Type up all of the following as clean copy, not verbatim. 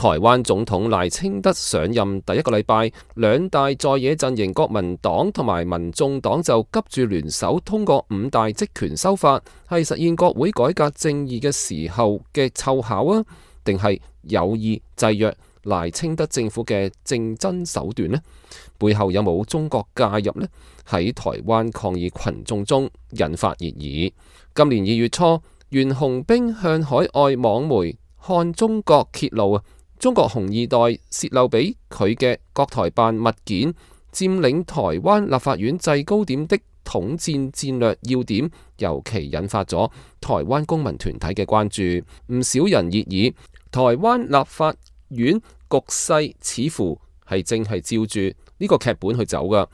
台灣總統賴清德上任第一個禮拜，兩大在野陣營國民黨同埋民眾黨就急住聯手通過5大職權修法，係實現國會改革正義嘅時候嘅湊巧啊，定係有意制約賴清德政府嘅政爭手段呢？背後有冇中國介入呢？喺台灣抗議群眾中引發熱議。今年2月初，袁弘彬向海外網媒看中國揭露啊，中國紅二代洩漏俾佢嘅國台辦物件，佔領台灣立法院制高點的統戰戰略要點，尤其引發咗台灣公民團體嘅關注。唔少人熱議台灣立法院局勢似乎係正係照住呢個劇本去走噶，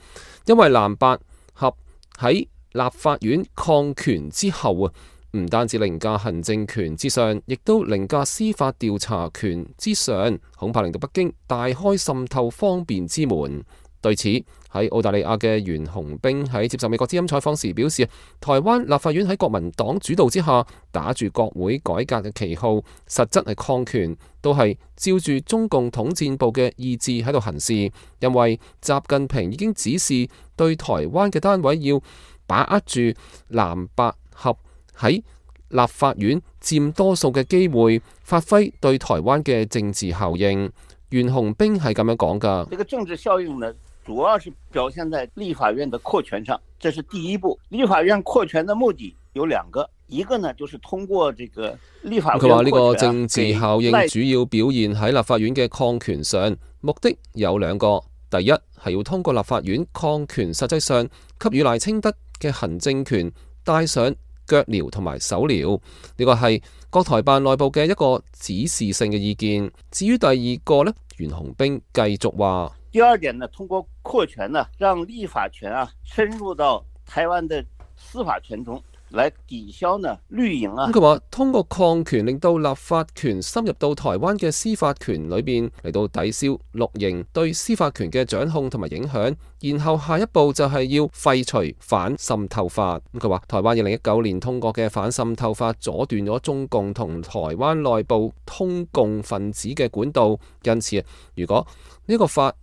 因為藍白合喺立法院抗權之後啊，唔單止凌駕行政權之上，亦都凌駕司法調查權之上，恐怕令到北京大開滲透方便之門。對此，喺澳大利亞嘅袁弘彬喺接受美國之音採訪時表示，台灣立法院喺國民黨主導之下，打住國會改革嘅旗號，實質係抗權，都係照住中共統戰部嘅意志喺度行事。因為習近平已經指示對台灣嘅單位要把握住藍白合喺立法院佔多數嘅機會，發揮對台灣嘅政治效應。袁弘彬係咁樣講㗎。這個政治效應呢，主要是表現在立法院的擴權上，這是第一步。立法院擴權的目的有2個，一個呢就是通過這個立法院擴權。佢話呢個政治效應主要表現喺立法院嘅抗權上，目的有2個。第一係要通過立法院抗權，實際上給予賴清德嘅行政權帶上腳鐐同埋手鐐，呢個係國台辦內部嘅一個指示性嘅意見。至於第2個呢，袁弘彬繼續話：第2點呢，通過擴權呢，讓立法權深入到台灣的司法權中，來抵消呢綠營啊。佢話通過抗權令到立法權深入到台灣嘅司法權裏邊，嚟到抵消綠營對司法權嘅掌控同埋影響。然後下一步就係要廢除反滲透法。佢話台灣2019年通過嘅反滲透法阻斷咗中共同台灣內部通共分子嘅管道，因此如果呢個法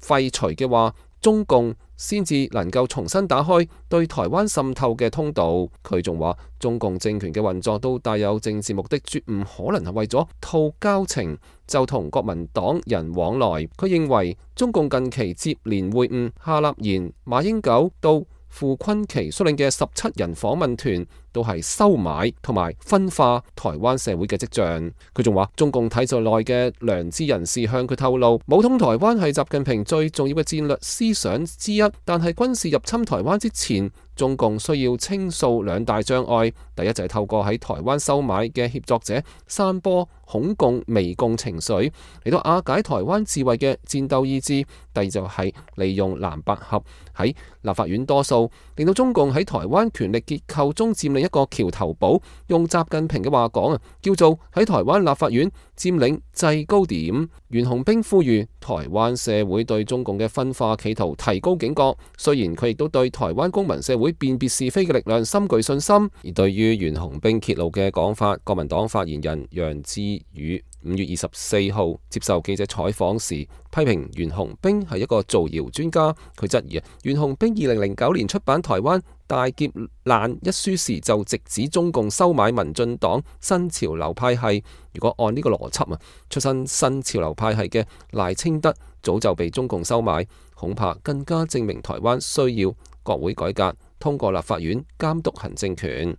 廢除嘅話，中共先至能夠重新打開對台灣滲透嘅通道。佢仲話中共政權嘅運作都帶有政治目的，絕唔可能係為咗套交情就同國民黨人往來。佢認為中共近期接連會晤夏立言、馬英九到傅崑萁率領嘅17人訪問團，都係收買同埋分化台灣社會嘅跡象。佢仲話中共體制內嘅良知人士向佢透露，武統台灣係習近平最重要嘅戰略思想之一，但係軍事入侵台灣之前，中共需要清掃2大障礙。第一就係透過喺台灣收買嘅協作者散播恐共媚共情緒，嚟到瓦解台灣自衛嘅戰鬥意志。第2就係利用藍白合喺立法院多數，令到中共喺台灣權力結構中佔領一個橋頭堡。用習近平嘅話講啊，叫做喺台灣立法院佔領制高點。袁弘彬呼籲台灣社會對中共嘅分化企圖提高警覺。雖然佢亦都對台灣公民社會辨別是非嘅力量深具信心。而對於袁弘彬揭露嘅講法，國民黨發言人楊智宇5月24號接受記者採訪時，批評袁弘彬係一個造謠專家。佢質疑袁弘彬2009年出版《台灣大劫難》一書時，就直指中共收買民進黨新潮流派系。如果按呢個邏輯出身新潮流派系嘅賴清德早就被中共收買，恐怕更加證明台灣需要國會改革，通過立法院監督行政權。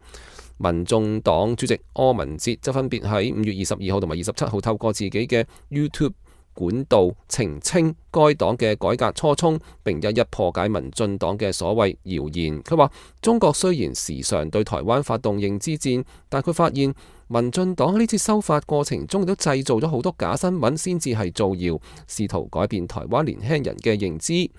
民眾黨主席柯文哲則分別喺5月22號同埋27號透過自己嘅 YouTube 管道澄清該黨嘅改革初衷，並一一破解民進黨嘅所謂謠言。佢話中國雖然時常對台灣發動認知戰，但佢發現民進黨喺呢次修法過程中亦都製造咗好多假新聞，先至係造謠，試圖改變台灣年輕人嘅認知。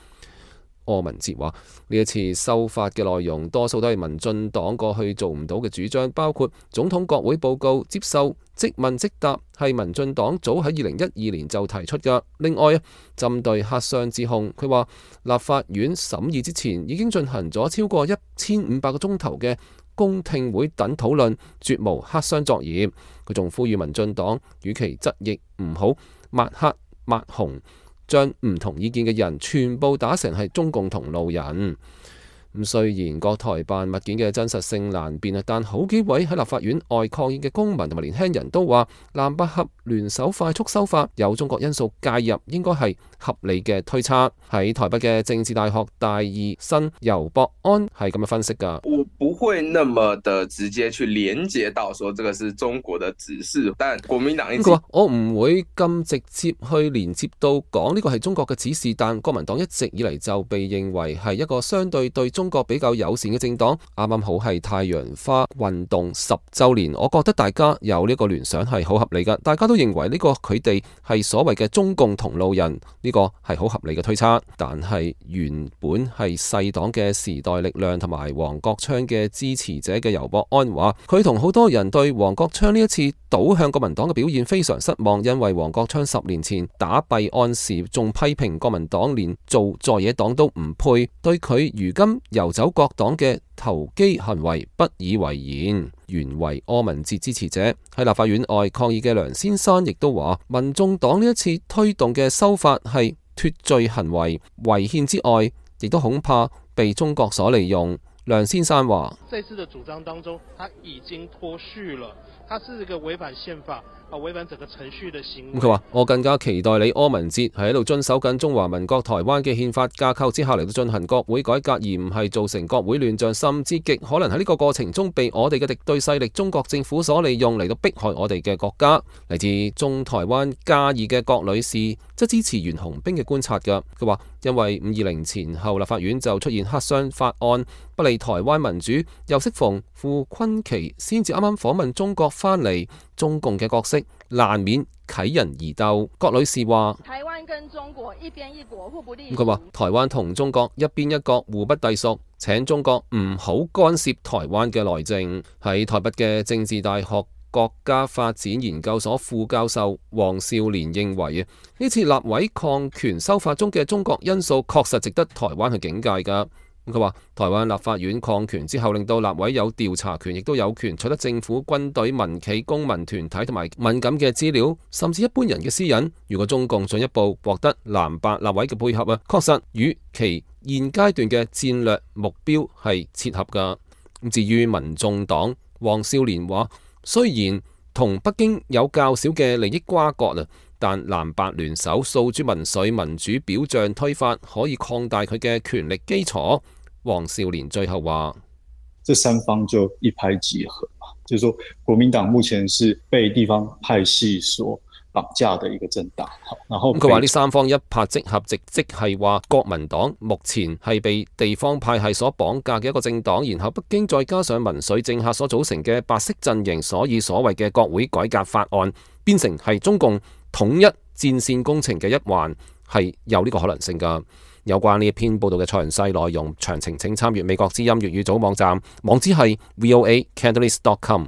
柯文哲話呢一次修法嘅內容多數都係民進黨過去做唔到嘅主張，包括總統國會報告接受即問即答，係民進黨早喺2012年就提出㗎。另外針對黑箱指控，佢話立法院審議之前已經進行咗超過1500個鐘頭嘅公聽會等討論，絕無黑箱作業。佢仲呼籲民進黨與其側翼唔好抹黑抹紅，將唔同意見嘅人全部打成係中共同路人。咁雖然國台辦物件嘅真實性難辨，但好幾位喺立法院外抗議嘅公民同埋年輕人都話，藍白合聯手快速修法，有中國因素介入，應該係合理嘅推測。喺台北嘅政治大學大二生游博安係咁樣分析㗎。我不會那麼的直接去連結到說這個是中國的指示，但國民黨佢話我唔會咁直接去連接到講呢個係中國嘅指示，但國民黨一直以嚟就被認為係一個相對中國比較友善嘅政黨，啱啱好係太陽花運動10週年，我覺得大家有呢個聯想係好合理㗎，大家都認為呢個佢哋係所謂嘅中共同路人，呢個係好合理嘅推測。但係原本係細黨嘅時代力量同埋黃國昌嘅支持者嘅游博安話，佢同好多人對黃國昌呢一次倒向國民黨嘅表現非常失望，因為黃國昌10年前打弊案時仲批評國民黨連做在野黨都唔配，對佢如今游走各黨嘅投機行為不以為然。原為柯文哲支持者喺立法院外抗議嘅梁先生亦都話，民眾黨呢一次推動嘅修法係脫罪行為，違憲之外，亦都恐怕被中國所利用。梁先生話：這次的主張當中，他已經脫序了，他是一個違反憲法、違反整個程序的行為。佢話：我更加期待你柯文哲係喺度遵守緊中華民國台灣嘅憲法架構之下嚟到進行國會改革，而唔係造成國會亂象，甚至極可能喺呢個過程中被我哋嘅敵對勢力中國政府所利用嚟到迫害我哋嘅國家。嚟自中台灣嘉義嘅郭女士則支持袁弘彬嘅觀察㗎。佢話：因為520前後立法院就出現黑箱法案，不利台灣民主，又適逢傅崑萁先至啱啱訪問中國返嚟，中共嘅角色難免啟人疑竇。郭女士話：台灣跟中國一邊一國，互不隸屬。佢話台灣同中國一邊一國，互不隸屬，請中國唔好干涉台灣嘅內政。喺台北嘅政治大學國家發展研究所副教授黃少年認為，呢次立委抗權修法中嘅中國因素確實值得台灣去警戒㗎。佢話台灣立法院抗權之後，令到立委有調查權，亦都有權取得政府、軍隊、民企、公民團體同埋敏感嘅資料，甚至一般人嘅私隱。如果中共進一步獲得藍白立委嘅配合確實與其現階段嘅戰略目標係切合㗎。至於民眾黨，黃少年話，雖然同北京有較少嘅利益瓜葛，但藍白聯手訴諸民粹民主表象推法，可以擴大佢嘅權力基礎。黃少年最後話：這三方就一拍即合嘛，就是說國民黨目前是被地方派系所綁架的一個政黨。然後佢話呢三方一拍即合，即係話國民黨目前係被地方派系所綁架嘅一個政黨，然後北京再加上民粹政客所組成嘅白色陣營，所以所謂嘅國會改革法案變成係中共統一戰線工程嘅一環，係有呢個可能性㗎。有關呢一篇報道嘅詳細內容，詳情請參閱美國之音粵語組網站，網址係voacantonese.com。